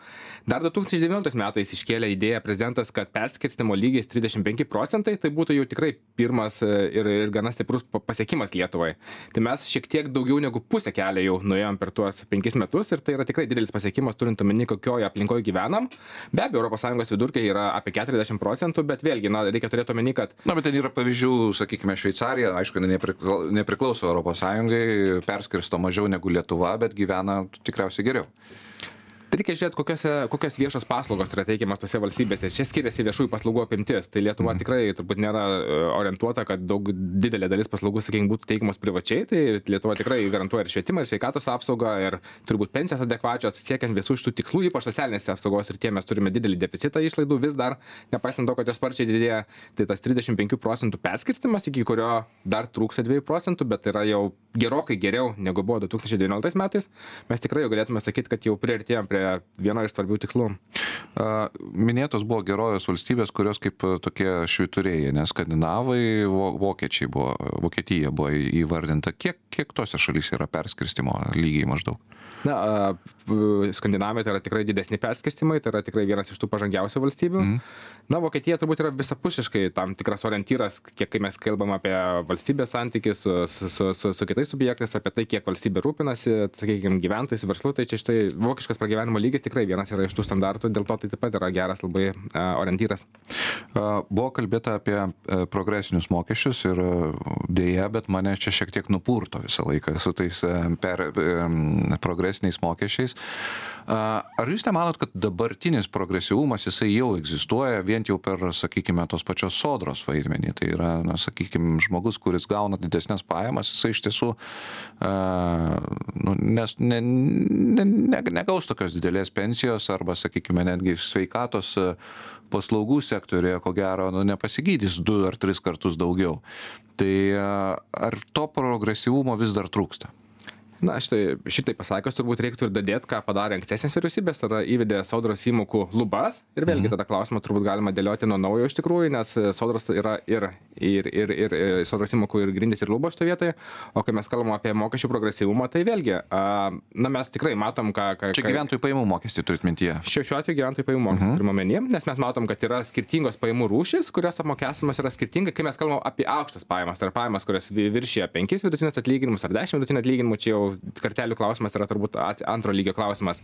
Dar du tūkstančiai devynioliktais metais iškėlė idėją prezidentas, kad perskirstimo lygis trisdešimt penki procentai, tai būtų jau tikrai pirmas ir, ir gana stiprus pasiekimas Lietuvai. Tai mes šiek tiek daugiau negu pusę kelio jau nuėjom per tuos penkis metus ir tai yra tikrai didelis pasiekimas, turint omeny, kokioje aplinkoje gyvenam. Be abejo, Europos Sąjungos vidurkiai yra apie keturiasdešimt procentų, bet vėlgi, na, reikia turėti omeny, kad... Na, bet ten yra pavyzdžių, sakykime, Šveicarija, aišku, nepriklauso Europos Sąjungai, perskirsto mažiau negu Lietuva, bet gyvena tikriausiai geriau. Tai reikia žiūrėti, kokios, kokios viešos paslaugos yra teikiamas tose valstybėse. Čia skiriasi viešųjų paslaugų apimtis. Tai Lietuva mm. tikrai turbūt nėra orientuota, kad daug didelė dalis paslaugų, sakykime, būtų teikiamos privačiai. Tai Lietuva tikrai garantuoja ir švietimą, ir sveikatos apsaugą, ir turbūt pensijas adekvačios, siekiant visų šitų tikslų, ypač socialinės apsaugos ir tie mes turime didelį deficitą išlaidų vis dar, nepaisant to, kad jos sparčiai didėja. Tai tas trisdešimt penkių procentų perskirstimas, iki kurio dar trūksta dviejų procentų, bet yra jau gerokai geriau negu buvo du tūkstančiai devynioliktais metais. Mes tikrai jau galėtume sakyti, kad jau priartėjom prie vieno iš svarbių tikslų. Minėtos buvo gerovės valstybės, kurios kaip tokie švyturėjai, nes skandinavai, vokiečiai buvo, Vokietija buvo įvardinta. Kiek, kiek tose šalyse yra perskirstimo lygiai maždaug? Na, Skandinavija tai yra tikrai didesni perskirstimai, tai yra tikrai vienas iš tų pažangiausių valstybių. Mm. Na, Vokietija turbūt yra visapusiškai tam tikras orientyras, kiek kai mes kalbam apie valstybės santykį su, su, su, su, su kitais subjektais, apie tai, kiek valstybė rūpinasi, sakykime, gyventojais, verslu, tai čia štai vokiškas pragyvenimo lygis tikrai vienas yra iš tų standartų, dėl to tai taip pat yra geras labai uh, orientyras. Uh, buvo kalbėta apie uh, progresinius mokesčius ir uh, dėja, bet mane čia šiek tiek nupurto visą laiką su tais uh, per, um, progresiniais mokesčiais. Uh, ar jūs nemanot, kad dabartinis progresyvumas jisai jau egzistuoja vien jau per, sakykime, tos pačios sodros vaidmenį? Tai yra, na, sakykime, žmogus, kuris gauna didesnės pajamas, jisai iš tiesų uh, nu, nes, ne, ne, ne, negaus tokios didelės pensijos arba, sakykime, netgi sveikatos paslaugų sektorėje, ko gero, nu, nepasigydys du ar tris kartus daugiau. Tai uh, ar to progresyvumo vis dar trūksta? Na, šitai, šitai pasakius turbūt reiktų ir dadėti, ką padarė ankstesnės vyriausybės, tada įvedė sodros įmokų lubas ir vėlgi mhm. tada klausimą turbūt galima dėlioti nuo naujo iš tikrųjų, nes sodros yra ir, ir, ir, ir, ir sodros įmokų ir grindys ir lubos šitoje vietoje, o kai mes kalbame apie mokesčių progresyvumą, tai vėlgi, a, na, mes tikrai matom, ką... ką Čia gyventojų pajamų mokestį turit mintyje. Šiuo, šiuo atveju gyventojų pajamų mokestį mhm. turime omenyje, nes mes matom, kad yra skirtingos pajamų rūšys, kurios apmokestinimas yra skirtingai, kai mes kalbame apie aukštas pajamas, tai yra pajamas, kurios viršija penkis vidutinės atlyginimus ar dešimt vidutinių atlyginimų, čia jau kartelių klausimas yra turbūt antro lygio klausimas.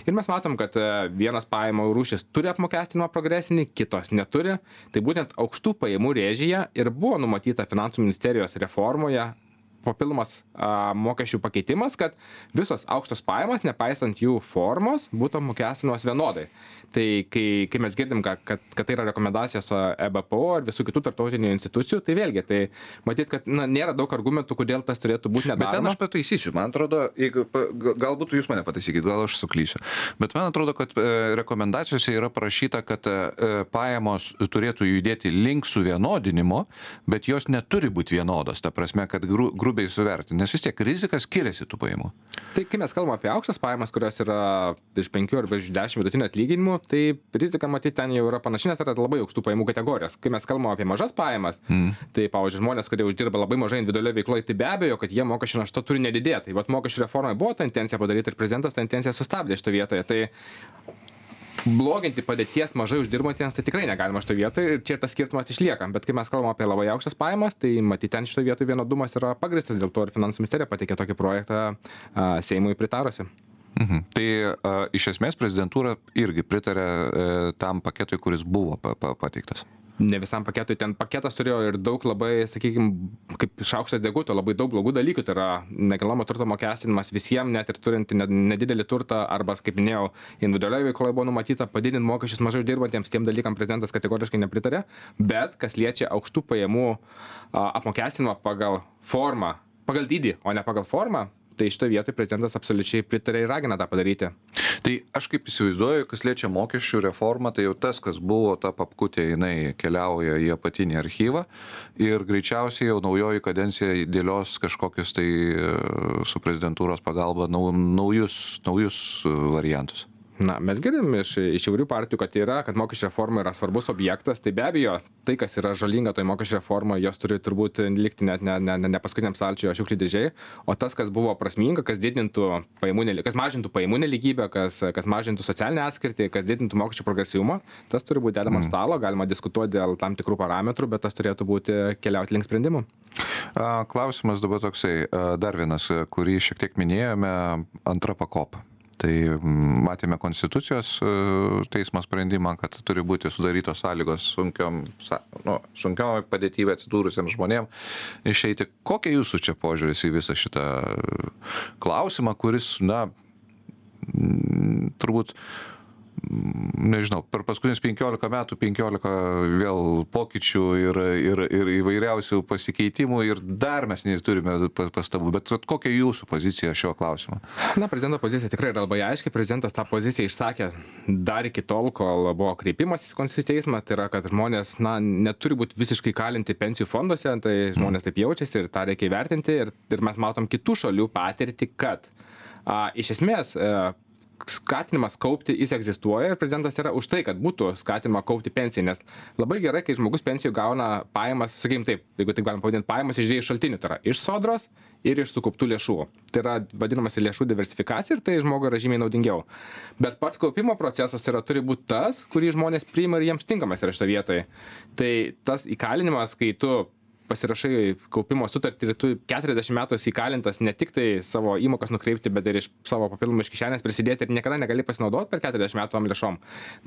Ir mes matom, kad vienas pajamų rūšis turi apmokestinimą progresinį, kitos neturi. Tai būtent aukštų pajamų rėžyje ir buvo numatyta Finansų ministerijos reformoje papildomas a, mokesčių pakeitimas, kad visos aukštos pajamos, nepaisant jų formos, būtų apmokestinamos vienodai. Tai kai, kai mes girdim, kad, kad, kad tai yra rekomendacijos E B P O ir visų kitų tarptautinių institucijų, tai vėlgi, tai matyt, kad na, nėra daug argumentų, kodėl tas turėtų būti nedaroma. Bet ten aš pataisysiu, man atrodo, jeigu, galbūt jūs mane pataisykit, gal aš suklysiu, bet man atrodo, kad e, rekomendacijose yra parašyta, kad e, pajamos turėtų judėti link suvienodinimo, bet jos neturi būti vienodos, ta prasme, kad gru, grubiai suvertinti, nes vis tiek rizika skiriasi tų pajamų. Tai kai mes kalbame apie aukštas pajamas, kurios yra iš penkių arba iš dešimt vidutinių atlyginimų, tai rizika matyti ten jau yra panaši, nes yra labai aukštų pajamų kategorijos. Kai mes kalbame apie mažas pajamas, mm. tai, pavyzdžiui, žmonės, kurie uždirba labai mažai individualioje veikloje, tai be abejo, kad jie mokesčių našta turi nedidėti. Tai vat mokesčių reformai buvo ta intencija padaryti ir prezidentas tą intenciją sustabdė šitoje vietoje. Tai bloginti padėties mažai uždirbantiems, tai tikrai negalima šitoje vietoje ir čia tas skirtumas išlieka. Bet kai mes kalbame apie labai aukštas pajamas, tai matyti ten šitoje vietoje vienodumas yra pagristas, dėl to ir Finansų ministerija pateikė tokį projektą a, Seimui pritarusi. Mhm. Tai a, iš esmės prezidentūra irgi pritarė e, tam paketui, kuris buvo pa, pa, pateiktas. Ne visam paketui, ten paketas turėjo ir daug labai, sakykime, kaip šaukštas deguto, labai daug blogų dalykų, tai yra nekilnojamo turto mokestinimas visiems, net ir turint nedidelį turtą, arba, kaip minėjau, individualioje veikloje buvo numatyta padidinti mokesčius mažai dirbantiems, tiem dalykam prezidentas kategoriškai nepritarė, bet kas liečia aukštų pajamų apmokestinimą pagal formą, pagal dydį, o ne pagal formą, tai šitoje vietoje prezidentas absoliučiai pritarė ir ragina tą padaryti. Tai aš kaip įsivaizduoju, kas liečia mokesčių reformą, tai jau tas, kas buvo ta papkutė, jinai keliauja į apatinį archyvą ir greičiausiai jau naujoji kadencija dėlios kažkokius tai su prezidentūros pagalba naujus, naujus variantus. Na, mes girdim iš, iš įvairių partijų, kad yra, kad mokesčių reforma yra svarbus objektas, tai be abejo, tai, kas yra žalinga toj mokesčių reformoje, jos turi turbūt likti net ne, ne, ne, ne paskutiniam stalčiuje šiukšlių dėžėje, o tas, kas buvo prasminga, kas didintų pajamų, kas mažintų pajamų nelygybę, kas, kas mažintų socialinę atskirtį, kas didintų mokesčių progresyvumą, tas turi būti dedama ant stalo, galima diskutuoti dėl tam tikrų parametrų, bet tas turėtų būti keliauti link sprendimų. Klausimas dabar toksai, dar vienas, kurį šiek tiek minėjome, antra pakopa. Tai matėme Konstitucijos teismo sprendimą, kad turi būti sudarytos sąlygos sunkiom, nu, sunkiom padėtybe atsidūrusiems žmonėms išeiti. Kokia jūsų čia požiūris į visą šitą klausimą, kuris, na, turbūt, nežinau, per paskutinius penkiolika metų, penkiolika vėl pokyčių ir, ir, ir įvairiausių pasikeitimų ir dar mes neturime pastabų. Bet kokia jūsų pozicija šio klausimo? Na, prezidento pozicija tikrai yra labai aiški. Prezidentas tą poziciją išsakė dar iki tol, kol buvo kreipimas į Konstitucinį teismą. Tai yra, kad žmonės, na, neturi būti visiškai kalinti pensijų fonduose, tai žmonės taip jaučiasi ir tą reikia įvertinti. Ir, ir mes matom kitų šalių patirtį, kad a, iš esmės a, skatinimas kaupti, jis egzistuoja ir prezidentas yra už tai, kad būtų skatinama kaupti pensiją, nes labai gerai, kai žmogus pensijų gauna pajamas, sakykim taip, jeigu taip galim pavadinti, pajamas iš dviejų šaltinių, tai yra iš sodros ir iš sukauptų lėšų. Tai yra vadinamas lėšų diversifikacija ir tai žmogui yra žymiai naudingiau. Bet pats kaupimo procesas yra, turi būti tas, kurį žmonės priima ir jiems tinkamas yra šito vietoje. Tai tas įkalinimas, kai tu pasirašai kaupimo sutartį ir tu keturiasdešimt metų esi įkalintas ne tik tai savo įmokas nukreipti, bet ir iš savo papildomų iš kišenės prisidėti ir niekada negali pasinaudoti per keturiasdešimt metų tom lėšom.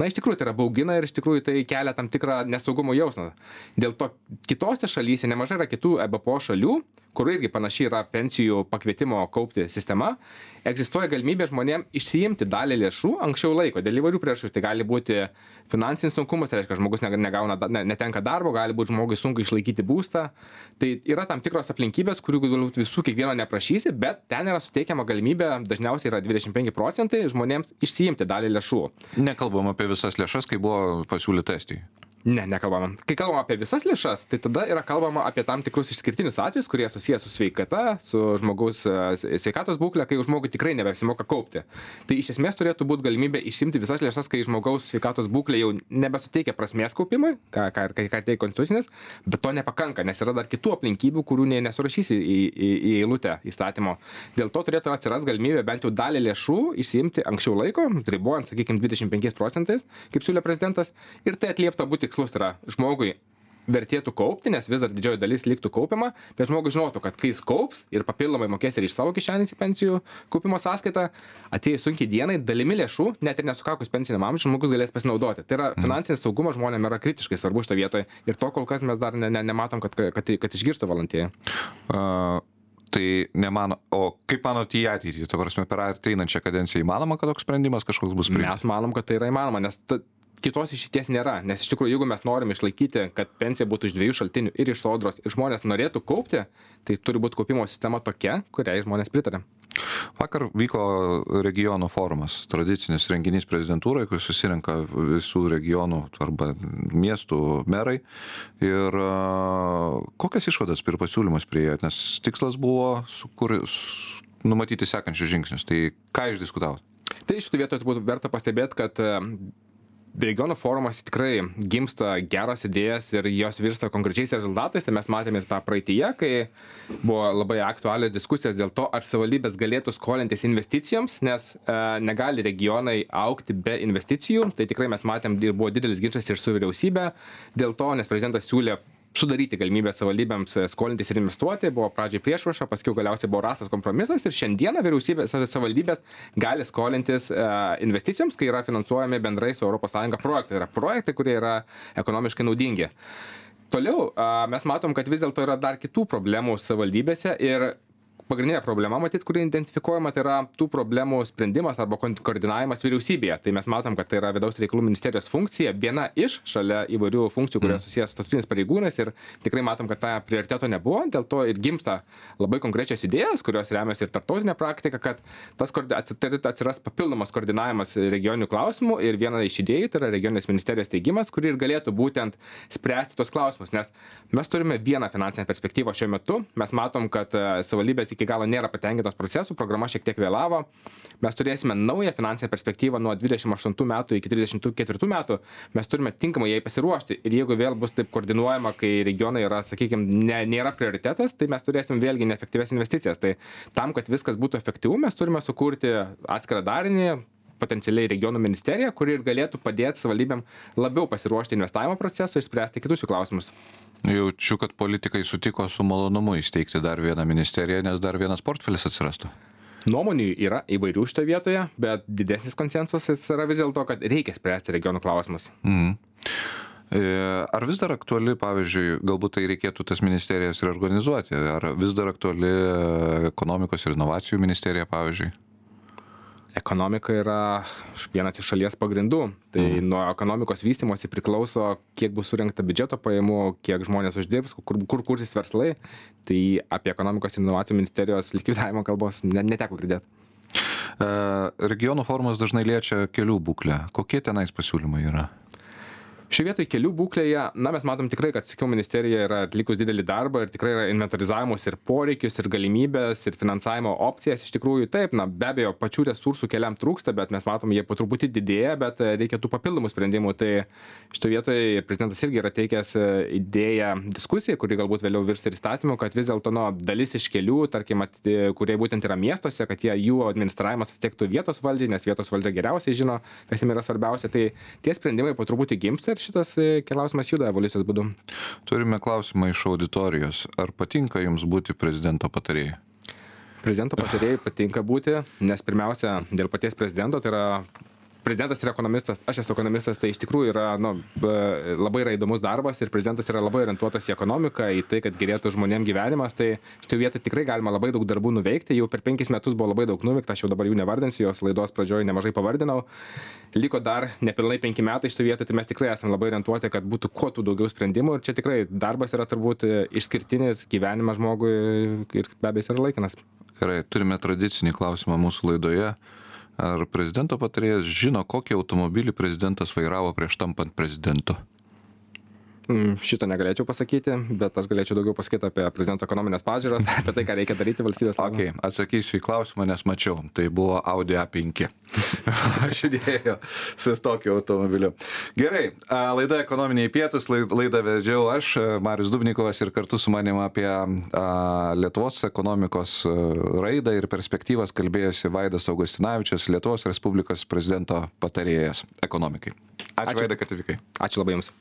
Na, iš tikrųjų tai yra baugina ir iš tikrųjų tai kelia tam tikrą nesaugumo jausmą. Dėl to kitose šalyse nemažai yra kitų E B P O šalių, kur irgi panašiai yra pensijų pakvietimo kaupti sistema, egzistuoja galimybė žmonėms išsiimti dalį lėšų anksčiau laiko. Dėl įvairių priežasčių tai gali būti finansinis sunkumas, tai reiškia, žmogus negauna, netenka darbo, gali būti žmogui sunku išlaikyti būstą. Tai yra tam tikros aplinkybės, kurių galbūt visų kiekvieno neprašysi, bet ten yra suteikiama galimybė, dažniausiai yra dvidešimt penki procentai žmonėms išsiimti dalį lėšų. Nekalbam apie visas lėšas, kai buvo pasiūlyta Estijai. Ne, nekalbama. Kai kalbama apie visas lėšas, tai tada yra kalbama apie tam tikrus išskirtinius atvejus, kurie susijęs su sveikata, su žmogaus sveikatos būklė, kai žmogui tikrai nebeapsimoka kaupti. Tai iš esmės turėtų būti galimybė išsimti visas lėšas, kai žmogaus sveikatos būklė jau nebesuteikia prasmės kaupimui, ką, ką, ką, ką teikia Konstitucinis, bet to nepakanka, nes yra dar kitų aplinkybių, kurių ne, nesurašysi į, į, į eilutę įstatymo. Dėl to turėtų atsiras galimybė bent jau dalį lėšų išsimti anksčiau laiko, ribojant, sakykime, dvidešimt penkiais procentais, kaip siūlė prezidentas, ir tai atlieptų būti tikslus, tai yra žmogui vertėtų kaupti, nes vis dar didžioji dalis liktų kaupiama, bet žmogus žinotų, kad kai jis kaups ir papildomai mokės ir iš savo kišenės į pensijų kaupimo sąskaitą, atėjus sunkiai dienai, dalimi lėšų, net ir nesukakus pensiniam amžiui, žmogus galės pasinaudoti. Tai yra finansinis saugumas žmonėms yra kritiškai svarbu šitoje vietoje ir to kol kas mes dar ne, ne, nematom, kad, kad, kad išgirstų valdantieji. Uh... Tai nemano, o kaip manot į ateitį, ta prasme, per ateinančią kadenciją įmanoma, kad toks sprendimas kažkoks bus priimtas? Mes manom, kad tai yra įmanoma, nes ta, kitos išeities nėra, nes iš tikrųjų, jeigu mes norim išlaikyti, kad pensija būtų iš dviejų šaltinių ir iš sodros, ir žmonės norėtų kaupti, tai turi būti kaupimo sistema tokia, kuriai žmonės pritarė. Vakar vyko regionų forumas, tradicinis renginys prezidentūrai, kur susirenka visų regionų arba miestų merai. Ir kokias išvadas ir pasiūlymus priėjot, nes tikslas buvo sukur, numatyti sekančius žingsnius. Tai ką išdiskutavot? Tai iš tų vietų būtų verta pastebėti, kad regionų forumas tikrai gimsta geros idėjas ir jos virsta konkrečiais rezultatais. Tai mes matėme ir tą praeityje, kai buvo labai aktualios diskusijos dėl to, ar savivaldybės galėtų skolintis investicijoms, nes e, negali regionai augti be investicijų. Tai tikrai mes matėm, buvo didelis ginčas ir su vyriausybė dėl to, nes prezidentas siūlė sudaryti galimybę savivaldybėms skolintis ir investuoti. Buvo pradžiai priešpriešą, paskui galiausiai buvo rastas kompromisas ir šiandieną vyriausybės savivaldybės gali skolintis investicijoms, kai yra finansuojami bendrai su Europos Sąjunga projektai. Tai yra projektai, kurie yra ekonomiškai naudingi. Toliau mes matom, kad vis dėlto yra dar kitų problemų savivaldybėse ir pagrindinė problema, matyt, kuri identifikuojama, tai yra tų problemų sprendimas arba koordinavimas vyriausybėje. Tai mes matom, kad tai yra vidaus reikalų ministerijos funkcija, viena iš šalia įvairių funkcijų, kurios susijęs su statutiniais pareigūnais ir tikrai matom, kad ta prioriteto nebuvo, dėl to ir gimsta labai konkrečios idėjas, kurios remiasi ir tarptautinė praktika, kad tas atsiras papildomas koordinavimas regioninių klausimų ir viena iš idėjų tai yra regioninės ministerijos teigimas, kuri ir galėtų būtent spręsti tos klausimus, nes mes turime vieną finansinę perspektyvą šiuo metu, mes matom, kad savivaldybės šalis iki galo nėra patenkintos procesų, programa šiek tiek vėlavo. Mes turėsime naują finansinę perspektyvą nuo dvidešimt aštuntų metų iki trisdešimt ketvirtų metų. Mes turime tinkamai jai pasiruošti ir jeigu vėl bus taip koordinuojama, kai regionai yra, sakykime, ne, nėra prioritetas, tai mes turėsim vėlgi neefektyves investicijas. Tai tam, kad viskas būtų efektyvu, mes turime sukurti atskirą darinį, potencialiai regionų ministerija, kuri ir galėtų padėti savivaldybėm labiau pasiruošti investavimo procesui ir spręsti kitus jų klausimus. Jaučiu, kad politikai sutiko su malonumu įsteigti dar vieną ministeriją, nes dar vienas portfelis atsirastų. Nuomonių yra įvairių šitoje vietoje, bet didesnis konsensusas yra vis dėlto, kad reikia spręsti regionų klausimus. Mhm. Ar vis dar aktuali, pavyzdžiui, galbūt tai reikėtų tas ministerijas ir organizuoti, ar vis dar aktuali ekonomikos ir inovacijų ministerija, pavyzdžiui? Ekonomika yra vienas iš šalies pagrindų. Tai mm. nuo ekonomikos vystymosi priklauso, kiek bus surinkta biudžeto pajamų, kiek žmonės uždirbs, kur, kur kursis verslai. Tai apie ekonomikos ir inovacijų ministerijos likvidavimo kalbos neteko girdėti. E, regionų forumas dažnai liečia kelių būklę. Kokie tenais pasiūlymai yra? Šioje vietoje kelių būklėje, na, mes matom tikrai, kad Susisiekimo ministerija yra atlikus didelį darbą ir tikrai yra inventarizavimus ir poreikius, ir galimybės, ir finansavimo opcijas. Iš tikrųjų, taip, na, be abejo, pačių resursų keliam trūksta, bet mes matom, jie po truputį didėja, bet reikia tų papildomų sprendimų. Tai šitoje vietoje prezidentas irgi yra teikęs idėją diskusijai, kuri galbūt vėliau virs ir įstatymu, kad vis dėlto no, dalis iš kelių, tarkim, at, kurie būtent yra miestuose, kad jie, jų administravimas atitektų vietos valdžiai, nes vietos valdžia geriausiai žino, kas jiems yra svarbiausia. Tai tie sprendimai po truputį gimsta ir šitas klausimas juda evoliucijos būdu. Turime klausimą iš auditorijos. Ar patinka jums būti prezidento patarėjai? Prezidento patarėjai patinka būti, nes pirmiausia, dėl paties prezidento, tai yra prezidentas yra ekonomistas, aš esu ekonomistas, tai iš tikrųjų yra, nu, labai yra įdomus darbas ir prezidentas yra labai orientuotas į ekonomiką, į tai, kad gerėtų žmonėm gyvenimas, tai šitoje vietoje tikrai galima labai daug darbų nuveikti, jau per penkis metus buvo labai daug nuveikta, aš jau dabar jų nevardinsiu, jos laidos pradžioje nemažai pavardinau, liko dar nepilnai penki metai šitoje vietoje, tai mes tikrai esame labai orientuoti, kad būtų kuo tų daugiau sprendimų ir čia tikrai darbas yra turbūt išskirtinis gyvenimas žmogui ir be abejo yra laikinas. Gerai, turime tradicinį klausimą mūsų laidoje. Ar prezidento patarėjas žino, kokį automobilį prezidentas vairavo prieš tampant prezidentu? Šito negalėčiau pasakyti, bet aš galėčiau daugiau pasakyti apie prezidento ekonominės pažiūras, apie tai, ką reikia daryti valstybės labui. Okay, atsakysiu į klausimą, nes mačiau. Tai buvo Audi A penki. Aš įdėjau su tokiu automobiliu. Gerai, laida Ekonominiai pietūs, laidą vedžiau aš, Marius Dubnikovas, ir kartu su manim apie Lietuvos ekonomikos raidą ir perspektyvas kalbėjosi Vaidas Augustinavičius, Lietuvos Respublikos prezidento patarėjas ekonomikai. Ačiū, Ačiū. Vaida, kad atvykai. Ačiū labai jums.